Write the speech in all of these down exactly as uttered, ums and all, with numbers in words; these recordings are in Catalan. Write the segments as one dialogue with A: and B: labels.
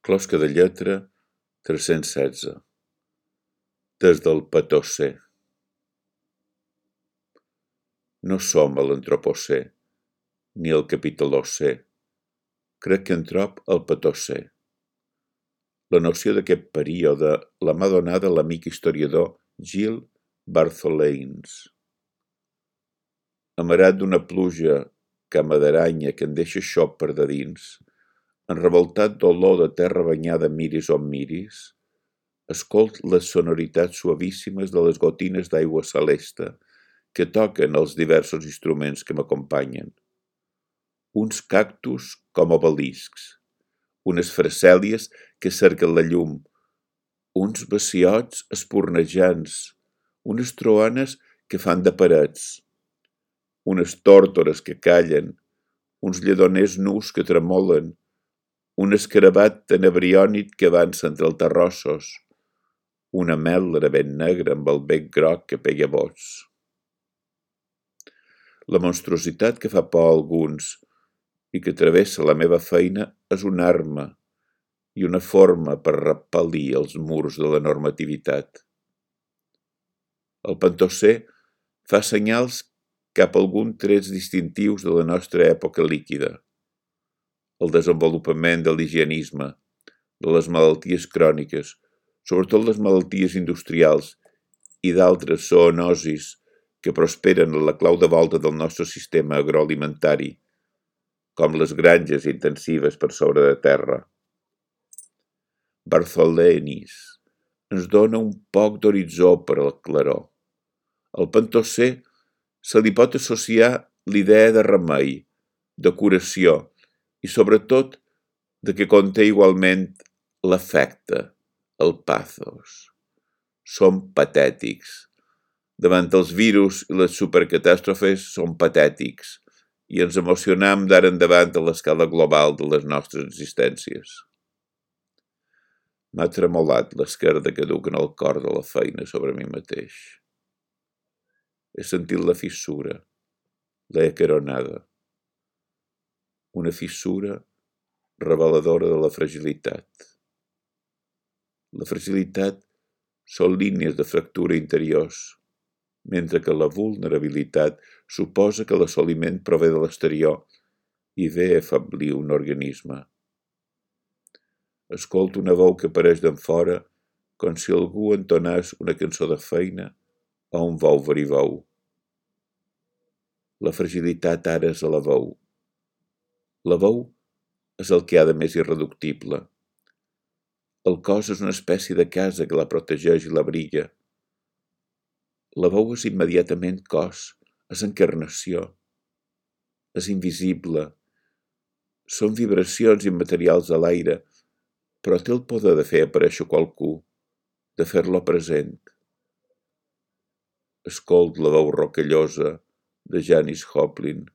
A: Closca de lletra tres-cents setze. Des del Patocè. No som a l'Antropocè, ni al Capitalocè. Crec que en trob al Patocè. La noció d'aquest període la m'ha donada l'amic historiador Gil Bartholéns. Amarat d'una pluja cama d'aranya que en deixa xop per de dins, enrevoltat d'olor de terra banyada miris on miris, escolt les sonoritats suavíssimes de les gotines d'aigua celeste que toquen els diversos instruments que m'acompanyen. Uns cactus com obeliscs, unes fracèlies que cerquen la llum, uns beciots espurnejants, unes troanes que fan de parets, unes tòrtores que callen, uns lledoners nus que tremolen, un escarabat tenebriònid que avança entre els terrossos, una mel·lera ben negra amb el bec groc que pega bots. La monstruositat que fa por a alguns i que travessa la meva feina és una arma i una forma per repel·lir els murs de la normativitat. El Pantocè fa senyals cap a alguns trets distintius de la nostra època líquida. El desenvolupament de l'higienisme, de les malalties cròniques, sobretot les malalties industrials i d'altres zoonosis que prosperen a la clau de volta del nostre sistema agroalimentari, com les granges intensives per sobre de terra. Bartholéns ens dona un poc d'horitzó per al claror. Al Pantocè se li pot associar l'idea de remei, de curació i, sobretot, de que conté igualment l'afecte, el pathos. Som patètics. Davant els virus i les supercatàstrofes som patètics i ens emocionam d'ara endavant a l'escala global de les nostres existències. M'ha tremolat l'esquerda que duc en el cor de la feina sobre mi mateix. He sentit la fissura, l'he acaronada. Una fissura reveladora de la fragilitat. La fragilitat són línies de fractura interiors, mentre que la vulnerabilitat suposa que l'assoliment prové de l'exterior i ve a afeblir un organisme. Escolto una veu que apareix d'en fora com si algú entonés una cançó de feina o un veu veriveu. La fragilitat ara és a la veu. La veu és el que ha de més irreductible. El cos és una espècie de casa que la protegeix i l'abriga. La veu és immediatament cos, és encarnació, és invisible. Són vibracions immaterials a l'aire, però té el poder de fer aparèixer qualcú, de fer-lo present. Escolt la veu rocallosa de Janis Joplin,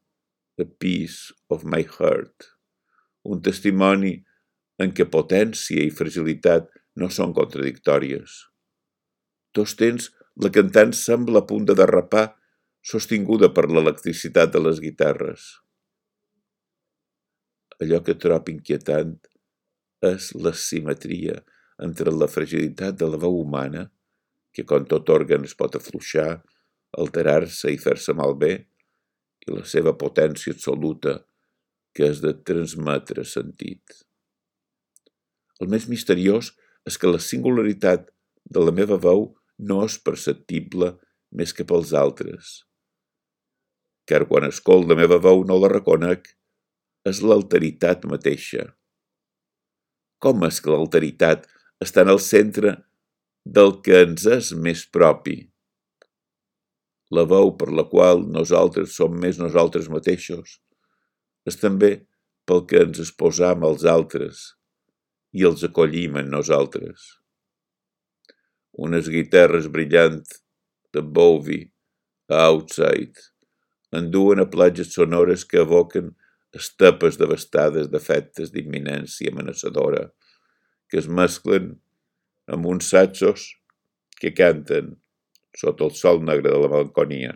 A: The Peace of My Heart, un testimoni en què potència i fragilitat no són contradictòries. Tots temps la cantant sembla a punt de derrapar, sostinguda per l'electricitat de les guitarres. Allò que trob inquietant és l'asimetria entre la fragilitat de la veu humana, que com tot òrgan es pot afluixar, alterar-se i fer-se malbé, i la seva potència absoluta, que és de transmetre sentit. El més misteriós és que la singularitat de la meva veu no és perceptible més que pels altres, car quan escolt la meva veu no la reconec, és l'alteritat mateixa. Com és que l'alteritat està en el centre del que ens és més propi? La veu per la qual nosaltres som més nosaltres mateixos és també pel que ens exposam als altres i els acollim en nosaltres. Unes guitarres brillants de Bowie a Outside enduen a platges sonores que evoquen estepes devastades d'efectes d'imminència amenaçadora que es mesclen amb uns saxos que canten sota el sol negre de la melanconia.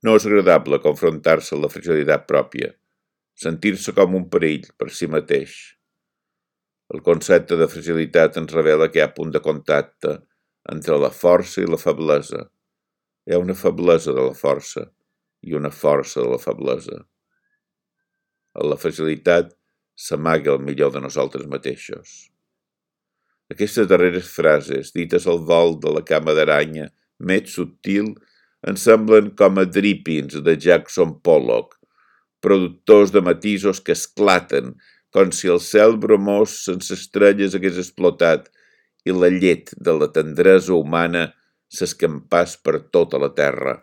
A: No és agradable confrontar-se amb la fragilitat pròpia, sentir-se com un perill per si mateix. El concepte de fragilitat ens revela que hi ha punt de contacte entre la força i la feblesa. Hi ha una feblesa de la força i una força de la feblesa. En la fragilitat s'amaga el millor de nosaltres mateixos. Aquestes darreres frases, dites al vol de la cama d'aranya més subtil, ens semblen com a drippings de Jackson Pollock, productors de matisos que esclaten, com si el cel bromós sense estrelles hagués explotat i la llet de la tendresa humana s'escampàs per tota la terra.